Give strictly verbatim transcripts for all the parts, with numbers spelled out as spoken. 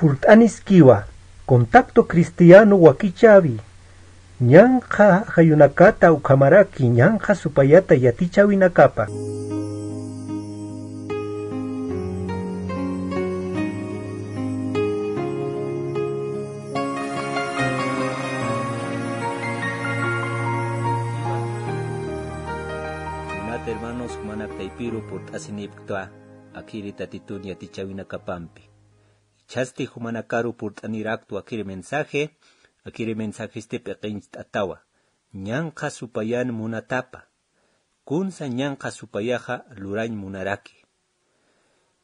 Purt'aniskiwa, Contacto Cristiano wakichäwi, ñanqha ajayunakata ukhamaraki ñanqha supayata yatichäwinakapa. Kunat hermanos, jumanak taypiru purt'asinipktwa, akhiri Tatitun yatichäwinakapampi. Jichhasti jumanakaru purt'aniraktwa akhiri mensaje, akhiri mensajesti p'iqincht'atawa. Ñanqha supayan munatapa. Kunsa ñanqha supayaxa lurañ munaraki.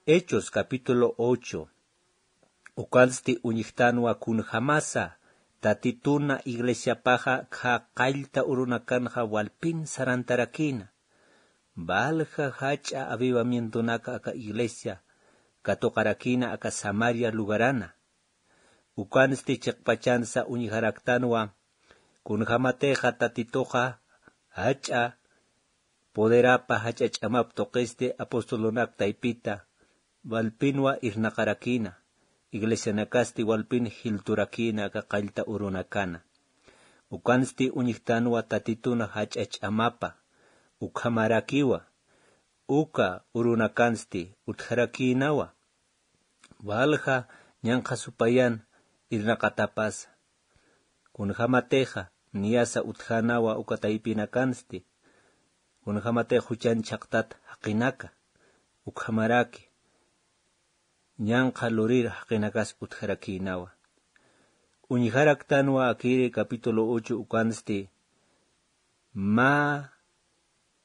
Hechos capítulo ocho. Ukansti uñjtanwa kunjamasa Tatituna iglesiapaxa khä qallta urunakanxa walpin sarantarakïna. Valja jach'a avivamientonaka aka iglesia katuqarakïna aka Samaria lugarana. Ukansti chiqpachansa uñjaraktanwa, kunjamatixa Tatituxa jach'a poderapa, jach'a ch'amap tuqisti apostolonak taypita, walpinwa irnaqarakïna, iglesianakasti walpin jilturakïna aka qallta urunakana. Ukansti uñjtanwa Tatituna jach'a ch'amapa, ukhamarakiwa, uka urunakansti utjarakïnawa. Valja ñanqha supayan irnaqatapasa. Kunjamatixa niyasa utjänawa uka taypinakansti, kunjamatixa juchan chhaqtat jaqinaka, ukhamaraki ñanqha lurir jaqinakas utjarakïnawa. Uñjaraktanwa akiri capítulo ocho ukansti, mä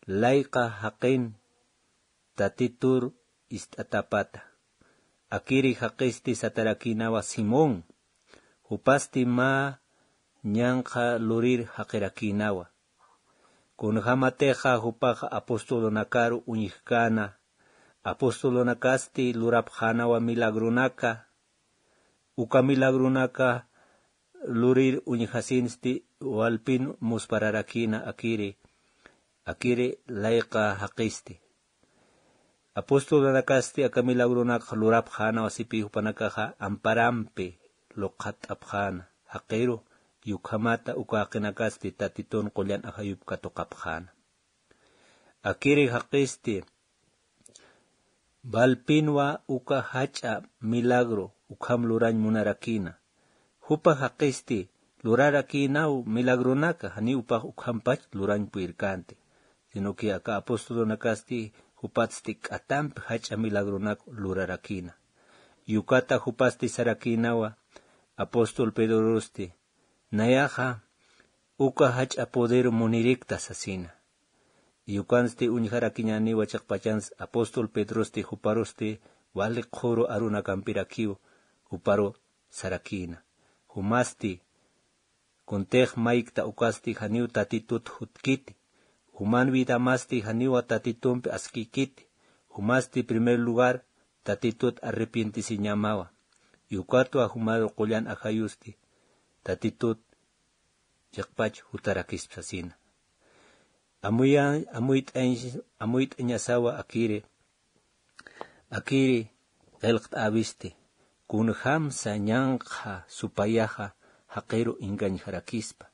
layqa jaqin Tatitur ist'atapata. Akiri jaqisti satarakïnawa Simón, jupasti mä ñanqha lurir jaqirakïnawa. Kunjamatixa jupaxa apostolonakaru uñjkäna, apostolonakasti lurapxänawa milagronaka, uka milagronaka lurir uñjasinsti walpin muspararakïna akiri, akiri layqa jaqisti. Apostolonakasti aka milagronakax lurapxänawa sipï jupanakaxa amparampi luqhatt'apxäna, jaqiru, ukhamata uka jaqinakasti Tatitun qullan ajayup katuqapxäna. Akiri jaqisti, walpinwa uka jach'a milagro ukham lurañ munarakïna. Jupa jaqisti lurarakïnaw milagronaka, janiw jupax ukhampach lurañ purirkänti, sino que aka apostolonakasti jupatsti k'atampi jach'a milagronak lurarakïna. Ukata jupasti sarakïnawa apóstol Pedrosti, nayaxa uka jach'a poder munirikta sasina. Ukansti uñjarakiñäniwa chiqpachansa apóstol Pedrosti juparusti wali qhuru arunakampirakiw juparu sarakïna. Jumasti kuntix maykta ukasti janiw Tatitut jutkiti. Juman vidamasti janiwa Tatitumpi askïkiti. Jumasti primer lugar Tatitut arrepientisiñamawa. Ukatwa jumaru qullan ajayusti Tatitut chiqpach jutarakispa sasina. Amuya-, amuyt'añ-, amuyt'añasawa akiri, akiri qillqt'äwisti, kunjamsa ñanqha supayaxa jaqiru engañjarakispa.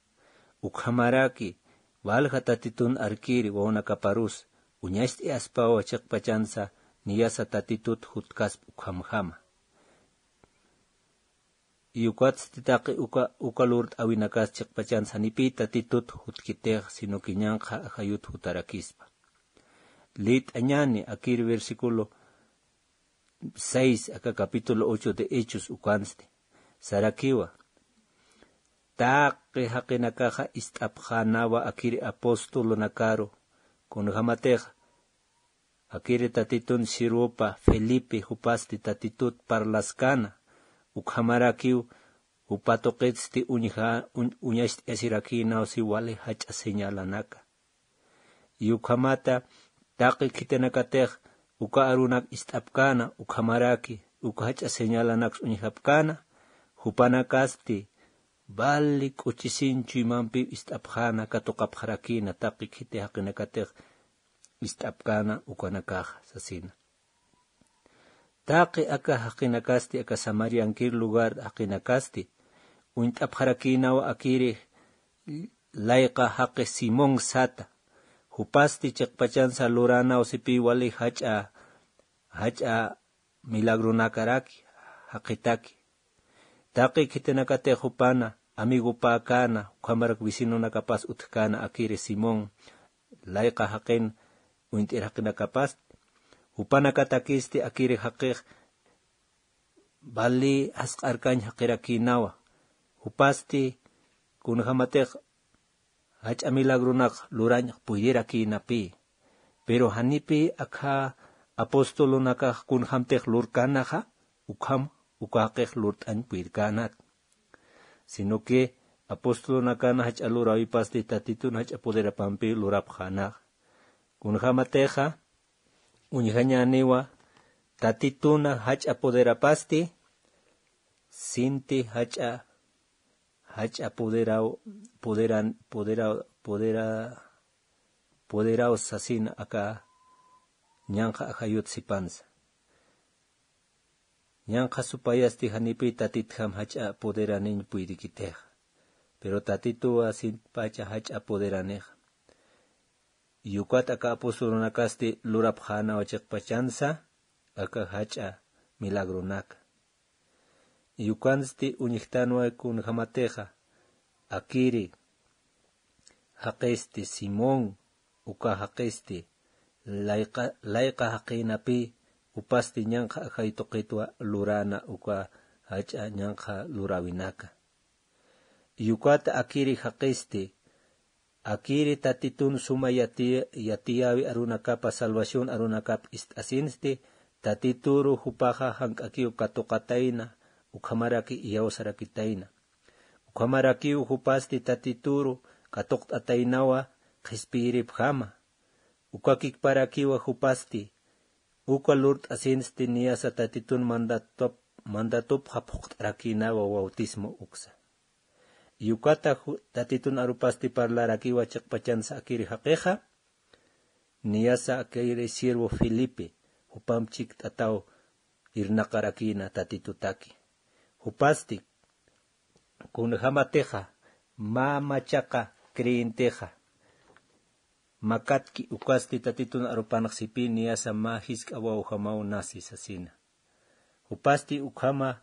Ukhamaraki, walja Tatitun arkiri wawanakaparus, uñacht'ayaspawa chiqpachansa niyasa Tatitut jutkaspa ukhamjama. Ukatsti taqi uka, uka lurt'äwinakas chiqpachansa janipï Tatitut jutkitix, sino que ñanqha ajayut jutarakispa. Liyt'añäni akir versículo seis, aka capítulo ocho de Hechos ukansti. Sarakiwa. Taqi jaqinakaxa ist'apxänawa akiri apostolonakaru, kunjamatixa akiri Tatitun sirvupa Felipe jupasti Tatitut parlaskäna, ukhamarakiw jupa tuqitsti uñja-, uñ-, uñacht'ayasirakïnaw si wali jach'a señalanaka. Ukhamata taqi khitinakatix uka arunak ist'apkäna, ukhamaraki uka jach'a señalanaks uñjapkäna, jupanakasti vali k'uchisin chuymampiw ist'apxäna, katuqapxarakïna taqi khiti jaqinakatix ist'apkäna ukanakaxa sasina. Taqi aka jaqinakasti, aka Samariankir lugar jaqinakasti, uñt'apxarakïnawa akiri layqa jaqi Simón sata. Jupasti chiqpachansa luranaw sipï wali jach'a, jach'a milagronakaraki, jaqitaki. Taqi khitinakatix jupana amigopäkäna, ukhamarak vecinonakapas utjkäna akiri Simón, layqa jaqin uñt'ir jaqinakapasti. Jupanakatakisti akiri jaqix, vali jasq'arkañ jaqirakïnawa. Jupasti kunjamatix jach'a milagronak lurañ puytirakïnapï. Pero janipï akha apostolonakax kunjamtix lurkänaxa, ukham uka jaqix lurt'añ puyirkänat. Sino que apostolonakan jach'a luräwipasti Tatitun jach'a poderapampi lurapxänaxa. Kunjamatixa uñjañäniwa Tatituna jach'a poderapasti, sinti jach'a, jach'a poderaw, poderan, poderaw, podera, poderaw sasin aka ñanqha ajayut sipansa. Ñanqha supayasti janipï Tatitjam jach'a poderaniñ puyirikitixa. Pero Tatituwa sintipacha jach'a poderanixa. Ukat aka apostolonakasti lurapxänawa chiqpachansa aka jach'a milagronaka. Ukansti uñjtanwa kunjamatixa akiri jaqisti Simón, uka jaqisti layqa, layqa jaqïnapï, jupasti ñanqha ajay tuqitwa luräna uka jach'a ñanqha luräwinaka. Ukat akiri jaqisti, akiri Tatitun suma yati, yatiyäwi arunakapa, salvación arunakap ist'asinsti, Tatituru jupaxa jank'akiw katuqatayna, ukhamaraki iyawsarakitayna. Ukhamarakiw jupasti Tatituru katuqt'ataynawa qhispiyiripjama. Uka kikparakiwa jupasti, uka lurt'asinsti niyasa Tatitun mandatup, mandatupxa phuqt'arakïnawa bautismo uksa. Ukata ju-, Tatitun arupasti parlarakiwa chiqpachansa akiri jaqixa, niyasa akiri siervo Felipe, jupam chikt'ataw irnaqarakïna Tatitutaki. Jupasti, kunjamatixa, mä machaqa creyentixa makatki ukasti Tatitun arupanx sipï niyasa mä jisk'a wawjamaw nasi sasina. Jupasti ukhama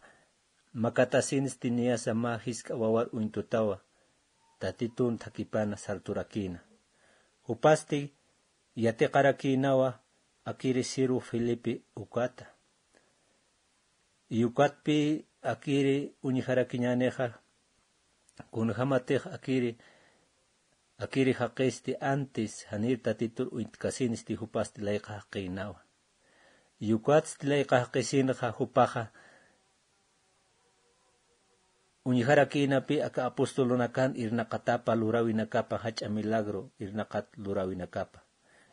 makatasinsti niyasa mä jisk'a wawar uñtutawa, Tatitun thakipana sarturakïna. Jupasti yatiqarakïnawa akiri siervo Felipe ukata. Ukatpï akiri uñjarakiñänixa, kunjamatix akiri, akiri jaqisti antes janir Tatitur uñtkasinsti jupasti layqa jaqïnawa. Ukatsti layqa jaqisinxa jupaxa uñjarakïnapï aka apostolunakan irnaqatapa luräwinakapa jach'a milagro irnaqat luräwinakapa.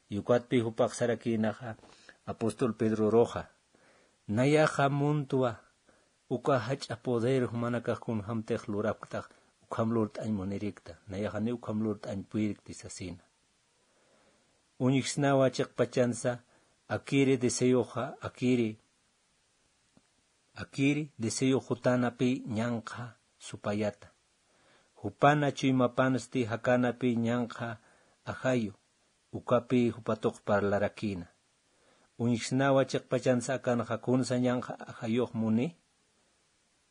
Ukatpï jupax sarakïnaxa apóstol Pedroruxa, nayaxa muntwa uka jach'a poder jumanakax kunjamtix lurapktax, ukham lurt'añ munirikta, nayax janiw ukham lurt'añ puyirikti sasina. Uñjsnawa chiqpachansa, akiri deseoxa, akiri, akiri deseo jutanapi ñanqha supayata. Jupana chuymapansti jakanapi ñanqha ajayu, ukapi jupatuq parlarakïna. Uñjsnawa chiqpachansa akanxa kunsa ñanqha ajayux muni,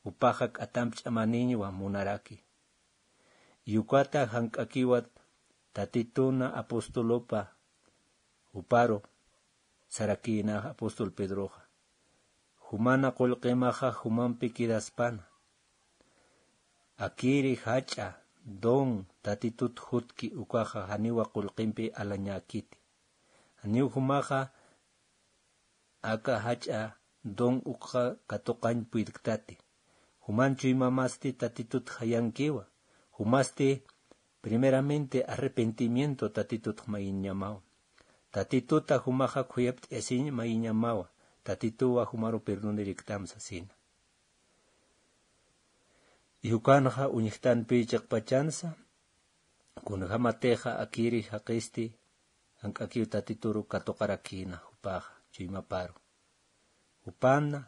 jupaxa k'atamp ch'amaniñwa munaraki. Ukata jank'akiwa Tatituna apostolupa juparu sarakïna apóstol Pedroxa. Jumana qullqimaxa jumampi quedaspana. Akiri jach'a don Tatitut jutki ukaxa janiwa qullqimpi alañäkiti. Janiw jumaxa aka jach'a don ukxa katuqañ puyirktati. Juman chuymamasti Tatitut jayankiwa. Jumasti primeramente arrepentimiento Tatitut mayiñamawa. Tatituta jumaxa khuyapt'ayasiñ mayiñamawa. Tatituwa jumaru perdoniriktam sasina. Ukanxa uñjtanpi chiqpachansa, kunjamatixa akiri jaqisti, jank'akiw Tatituru katuqarakïna jupaxa, chuymaparu. Jupana,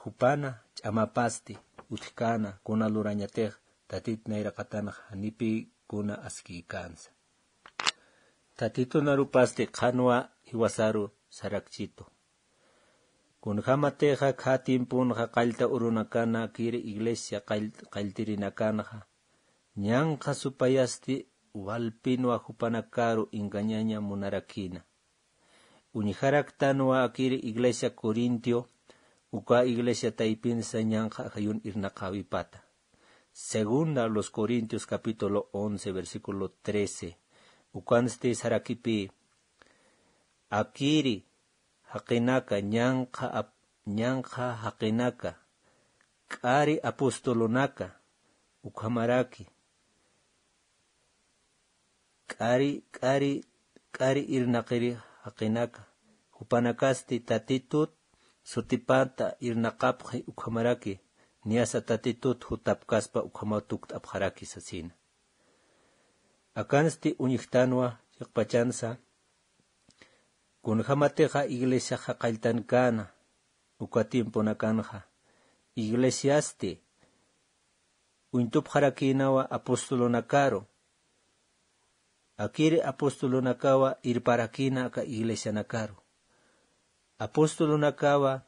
jupana ch'amapasti utjkäna, kuna lurañatix Tatit nayraqatanxa janipï kuna askïkänsa. Tatitun arupasti qhanwa jiwasaru sarakchitu. Kunjämatixa khä tiemponxa qallta urunakana akir iglesia qall-, qalltirinakanxa, ñanqha supayasti walpinwa jupanakaru engañaña munarakïna. Uñjaraktanwa akir iglesia Corintio, uka iglesia taypinsa ñanqha ajayun irnaqäwipata. Segunda a los Corintios capítulo once, versículo trece. Ukansti sarakipï, akiri jaqinaka, ñanqha ap-, ñanqha jaqinaka, k'ari apostolonaka, ukhamaraki, k'ari, k'ari, k'ari irnaqiri jaqinaka, jupanakasti Tatitut sutipata irnaqapxi ukhamaraki, niyasa Tatitut jutapkaspa ukhamaw tukt'apxaraki sasina. Akansti uñjtanwa chiqpachansa, kunjämatixa iglesiaxa qalltankäna, uka tiemponakanxa, iglesiasti uñtupxarakïnawa apostolonakaru, akiri apostolonakawa irparakïna aka iglesianakaru. Apostolonakawa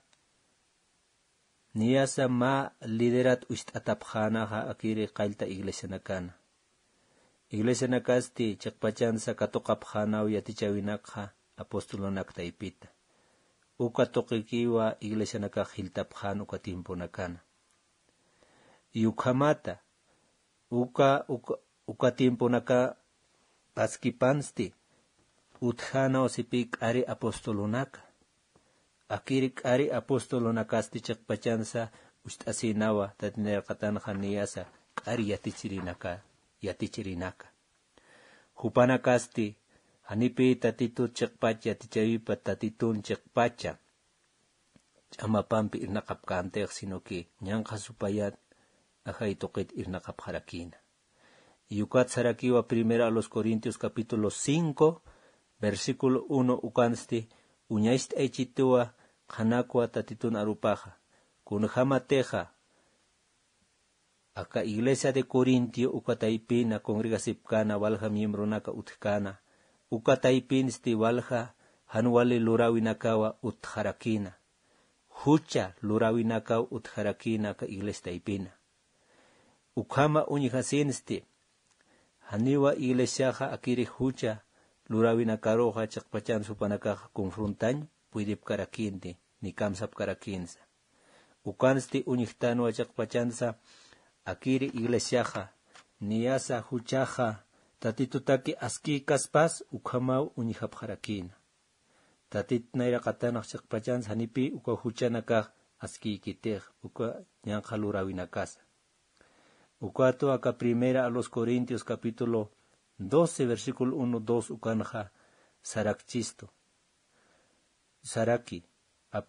niyasa mä liderat ucht'atapxänaxa akiri qallta iglesianakana. Iglesianakasti chiqpachansa katuqapxänaw yatichäwinakxa apostolonak taypita. Uka tuqikiwa iglesianakax jiltapxän uka tiemponakana. Y ukhamata, uka, uka, uka tiemponaka paskipansti, utjänaw sipï k'ari apostolonaka. Akiri k'ari apostolonakasti chiqpachansa ucht'asïnawa, Tatit nayraqatanxa niyasa k'ari yatichirinaka, yatichirinaka. Jupanakasti, janipï Tatitut chiqpach yatichäwipa, Tatitun chiqpacha ch'amapampi irnaqapkäntix, sino que ñanqha supayat ajay tuqit irnaqapxarakïna. Y ukat sarakiwa Primera a los Corintios capítulo cinco, versículo uno, ukansti uñacht'aychituwa qhanakwa Tatitun arupaxa. Kunjämatixa aka iglesia de Corintio uka taypina congregasipkäna walja miembronaka utjkäna, uka taypinsti walja jan wali luräwinakawa utjarakïna. Jucha luräwinakaw utjarakïna aka iglesia taypina. Ukhama uñjasinsti, janiwa iglesiaxa akiri jucha luräwinakaruxa chiqpachansa jupanakaxa confrontañ puydipkarakïnti, ni kamsapkarakïnsa. Ukansti uñjtanwa chiqpachansa, akiri iglesiaxa niyasa juchaxa Tatitutaki askïkaspas ukhamaw uñjapxarakïna. Tatit nayraqatanax chiqpachansa janipï uka juchanakax askïkitix, uka ñanqha luräwinakasa. Ukatwa aka Primera a los Corintios capítulo doce, versículo uno, dos ukanxa sarakchistu. Saraki, ap-,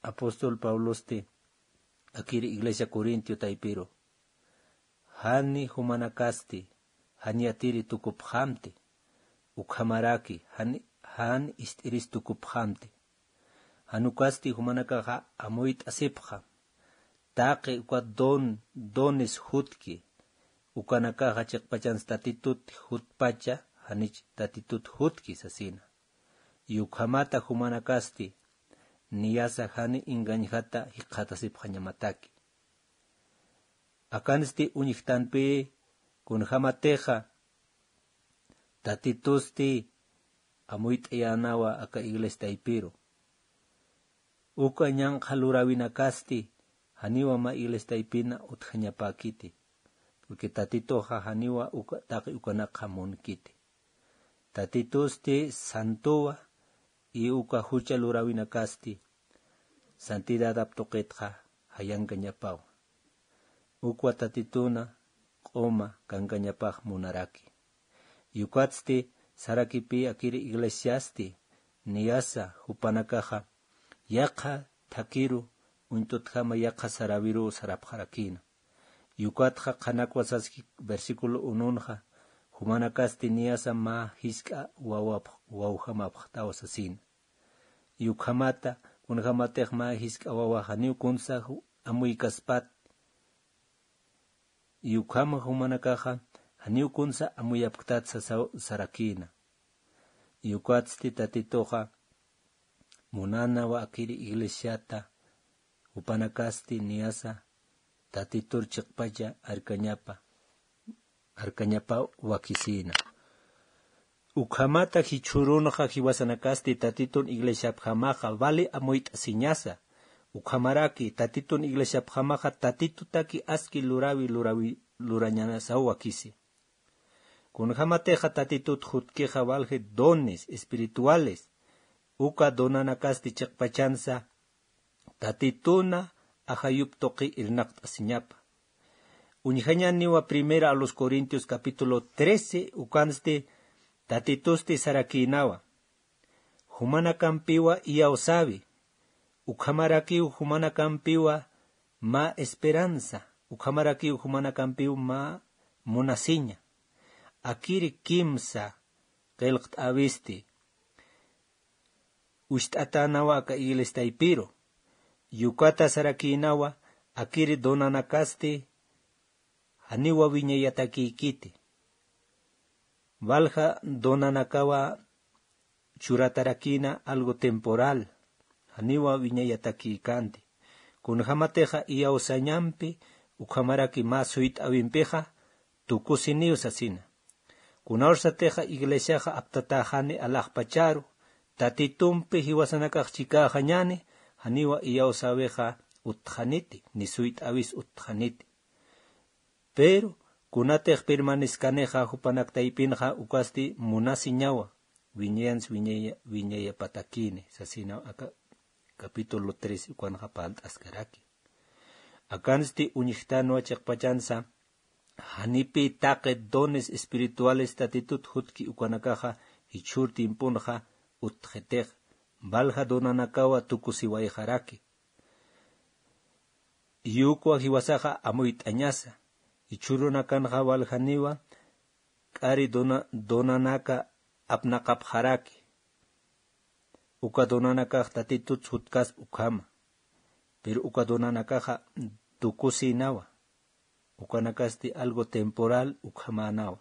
apóstol Pablosti akiri iglesia Corintio taypiru. Jani jumanakasti, jan yatiri tukupxamti. Ukhamaraki, jan, jan ist'iris tukupxamti. Jan ukasti jumanakaxa amuyt'asipxam. Taqi uka don, dones jutki. Ukanakaxa chiqpachansa Tatitut jutpacha, janich Tatitut jutki sasina. Y ukhamata jumanakasti, niyasa jani engañjata jikxatasipxañamataki. Akansti uñjtanpï, kunjämatixa Tatitusti amuyt'ayänawa aka iglesia taypiru. Uka ñanqha luräwinakasti, janiwa mä iglesia taypina utjañapäkiti. Porque Tatituxa janiwa uka, taqi ukanakxa munkiti. Tatitusti santowa, y uka jucha luräwinakasti, santidadap tuqitxa jayankañapawa. Ukwa Tatituna q'uma kankañapax munaraki. Y ukatsti sarakipï akiri iglesiasti, niyasa jupanakaxa yaqha thakiru, uñtutjama yaqha saräwiru sarapxarakïna. Y ukatxa qhanakwa saski versículo ununxa, jumanakasti niyasa mä jisk'a wawapx-, wawjamapxtaw sasina. Y ukhamata, kunjamatix mä jisk'a wawax janiw kunsa ju-, amuykaspat. Y ukhama jumanakaxa, janiw kunsa amuyapktat sasaw sarakïna. Y ukatsti Tatituxa, munanawa akiri iglesiata, jupanakasti niyasa, Tatitur chiqpacha arkañapa, arkañapa wakisïna. Ukhamata jichhürunxa jiwasanakasti Tatitun iglesiapjamaxa vali amuyt'asiñasa. Ukhamaraki Tatitun iglesiapjamaxa Tatitutaki aski lurawi lurawi lurañanasaw wakisi. Kunjamatixa Tatitut jutkixa walji dones espirituales, uka donanakasti chiqpachansa, Tatituna ajayup tuqi irnaqt'asiñapa. Uñjañaniwa Primera a los Corintios capítulo trece, ukansti Tatitusti sarakïnawa. Jumanakampiwa iyawsäwi, ukhamarakiw jumanakampiwa mä esperanza, ukhamarakiw jumanakampiw mä munasiña. Akiri kimsa qillqt'äwisti, ucht'atänawa aka iglesiaypiru. Y ukata sarakïnawa, akiri donanakasti, janiwa wiñayatakïkiti. Walja donanakawa churatarakïna algo temporal, janiwa wiñayatakïkänti. Kunjamatixa iyawsañampi, ukhamaraki mä suyt'äwimpixa, tukusiniw sasina. Kunawsatixa iglesiaxa aptatäxani alaxpacharu, Tatitumpi jiwasanakax chikäxañäni, janiwa iyawsäwixa utjaniti, ni suyt'äwis utjaniti. Pero, kunatix permaneskanixa jupanak taypinxa ukasti munasiñawa, wiñayansa wiñaya-, wiñayapatakïni, sasina aka capítulo tres ukanxa parlt'askaraki. Akansti uñjtanwa chiqpachansa, janipï taqi dones espirituales Tatitut jutki ukanakaxa jichhür tiemponxa utjitix, walja donanakawa tukusiwayxaraki. Y ukwa jiwasaxa amuyt'añasa, jichhürunakanxa waljaniwa, k'ari dona-, donanaka apnaqapxaraki. Uka donanakax Tatitut jutkaspa ukhama. Pero uka donanakaxa tukusïnawa. Ukanakasti algo temporal ukhamänawa.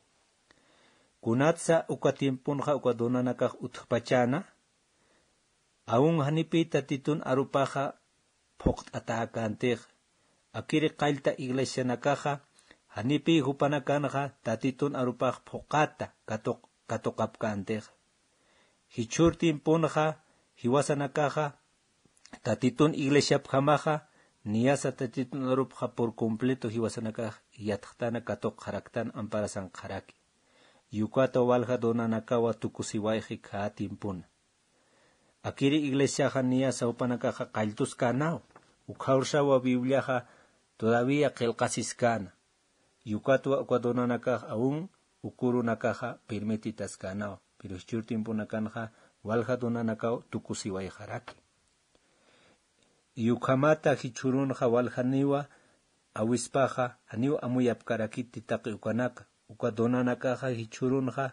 Kunatsa uka tiemponxa uka donanakax utjpachäna, aun janipï Tatitun arupaxa phuqt'atäkäntixa. Akiri qallta iglesianakaxa, janipï jupanakanxa Tatitun arupax phuqata katuq-, katuqapkäntixa. Jichhür tiemponxa, jiwasanakaxa, Tatitun iglesiapjamaxa, niyasa Tatitun arupxa por completo jiwasanakax yatxtana katuqxaraktan amparasanxaraki. Y ukata walja donanakawa tukusiwayxi khä tiempona. Akiri iglesiaxa niyasa jupanakaxa qalltuskänaw, ukhawrsawa Bibliaxa todavía qillqasiskäna. Y ukatwa uka donanakax aun uka urunakaxa permititaskänaw, pero jichhür tiemponakanxa walja donanakaw tukusiwayxaraki. Y ukhamata jichhürunxa waljaniwa awispaxa, janiw amuyapkarakiti taqi ukanaka, uka donanakaxa jichhürunxa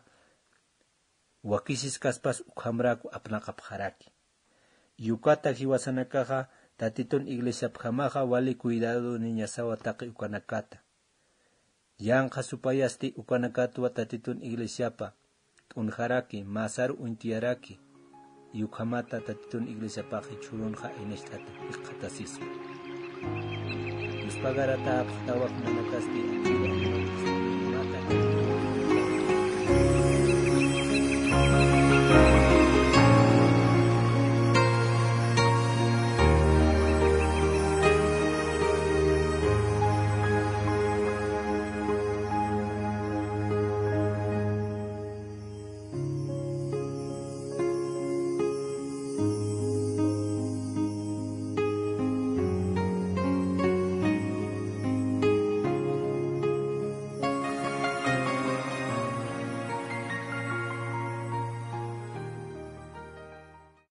wakisiskaspas ukhamrak apnaqapxaraki. Y ukata jiwasanakaxa Tatitun iglesiapjamaxa wali cuidadoniñasawa taqi ukanakata. Yanqa supayasti ukanakatwa Tatitun iglesiapa t'unjaraki, mä sar uñt'ayaraki, y ukhamata Tatitun iglesiapax jichhürunxa aynacht'ata jikxatasispa. Dios pagaratäpxtawa jumanakasti.